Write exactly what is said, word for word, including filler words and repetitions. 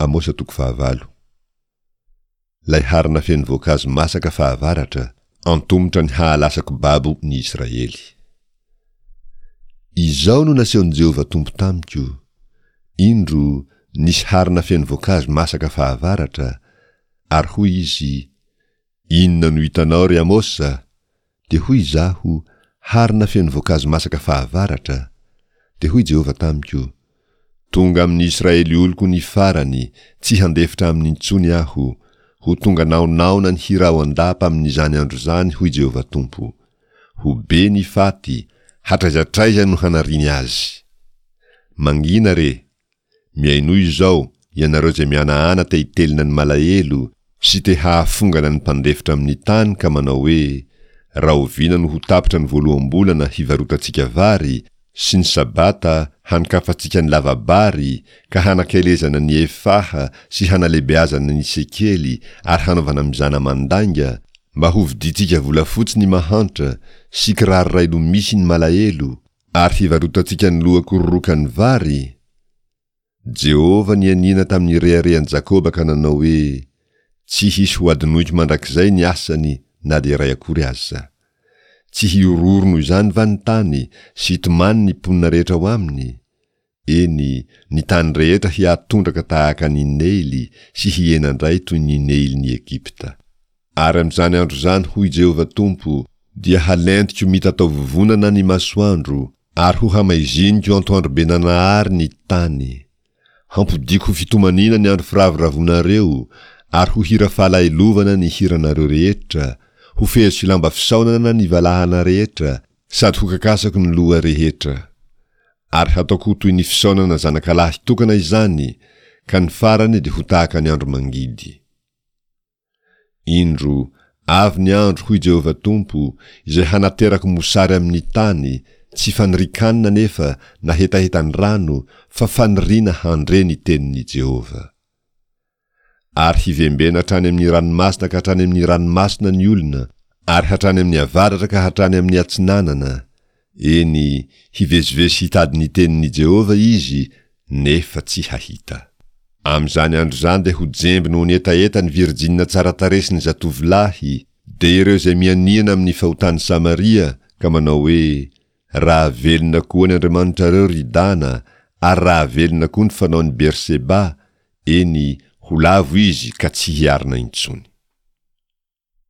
Amosa toko fahavalo. Ilay harona feno voankazo masaka fahavaratra, antomotra ny hahalasako babo ny Israely. Izao no nasehon'i Jehovah Tompo tamiko, Indro, nisy harona feno voankazo masaka fahavaratra, ary hoy izy, Inona no hitanao, ry Amosa? Dia hoy izaho, Harona feno voankazo masaka fahavaratra. Dia hoy Jehovah tamiko, Tonga amin'ny Israely oloko ny farany, tsy handefitra aminy intsony aho. Ho tonga naonaona ny hira ao an-dapa amin'izany andro izany, hoy Jehovah Tompo. Ho be ny faty, hatraiza hatraiza no hanariany azy. Mangina re! Mihainoa izao, ianareo izay mihanahana te hitelina ny malahelo sy te hahafongana ny mpandefitra amin'ny tany ka manao hoe, Rahoviana no ho tapitra ny voaloham-bolana hivarotantsika vary, sy ny Sabata hanokafantsika ny lava-bary, ka hanakelezana ny efaha sy hanalehibeazana ny sekely ary hanaovana mizana mandainga, mba hovidintsika volafotsy ny mahantra sy kiraro iray loha misy ny malahelo, ary hivarotantsika ny loha kororokan'ny vary? Jehovah nianiana tamin'ny reharehan'i Jakoba ka nanao hoe, Tsy hisy hohadinoiko mandrakizay ny asany na dia iray akory aza. Tsy hihorohoro noho izany va ny tany sy hitomany ny mponina rehetra ao aminy? Eny, ny tany rehetra hihatondraka tahaka an'i Neily sy hihena indray toy ny Neilin'i Egypta. Ary amin'izany andro izany, hoy Jehovah Tompo, dia halentiko mitataovovonana ny masoandro, ary hohamaiziniko antoandrobe nanahary ny tany. Hampodiako ho fitomaniana ny andro firavoravoanareo, ary ho hira fahalahelovana ny hiranareo rehetra, ho feheziko lamba fisaonana ny valahana rehetra, sady hokakasako ny loha rehetra. Ary hataoko ho toy ny fisaonana zanakalahy tokana izany, ka ny farany dia ho tahaka ny andro mangidy. Indro, avy ny andro, hoy Jehovah Tompo, izay hanaterako mosary amin'ny tany, tsy fanirian-kanina anefa na hetahetan-drano, fa faniriana handre ny tenin'i Jehovah. Ary hivembena hatrany amin'ny ranomasina ka hatrany amin'ny ranomasina ny olona, ary hatrany amin'ny avaratra ka hatrany amin'ny atsinanana, eny, hivezivezy hitady ny tenin'i Jehovah izy, nefa tsy hahita. Amin'izany andro izany dia ho jemby noho ny hetaheta ny virjinina tsara tarehy sy ny zatovolahy, dia ireo izay mianiana amin'ny fahotan'i Samaria ka manao hoe, Raha velona koa ny andriamanitrareo, ry Dana, ary raha velona koa ny fanaon'i Berseba, eny, ho lavo izy ka tsy hiarina intsony.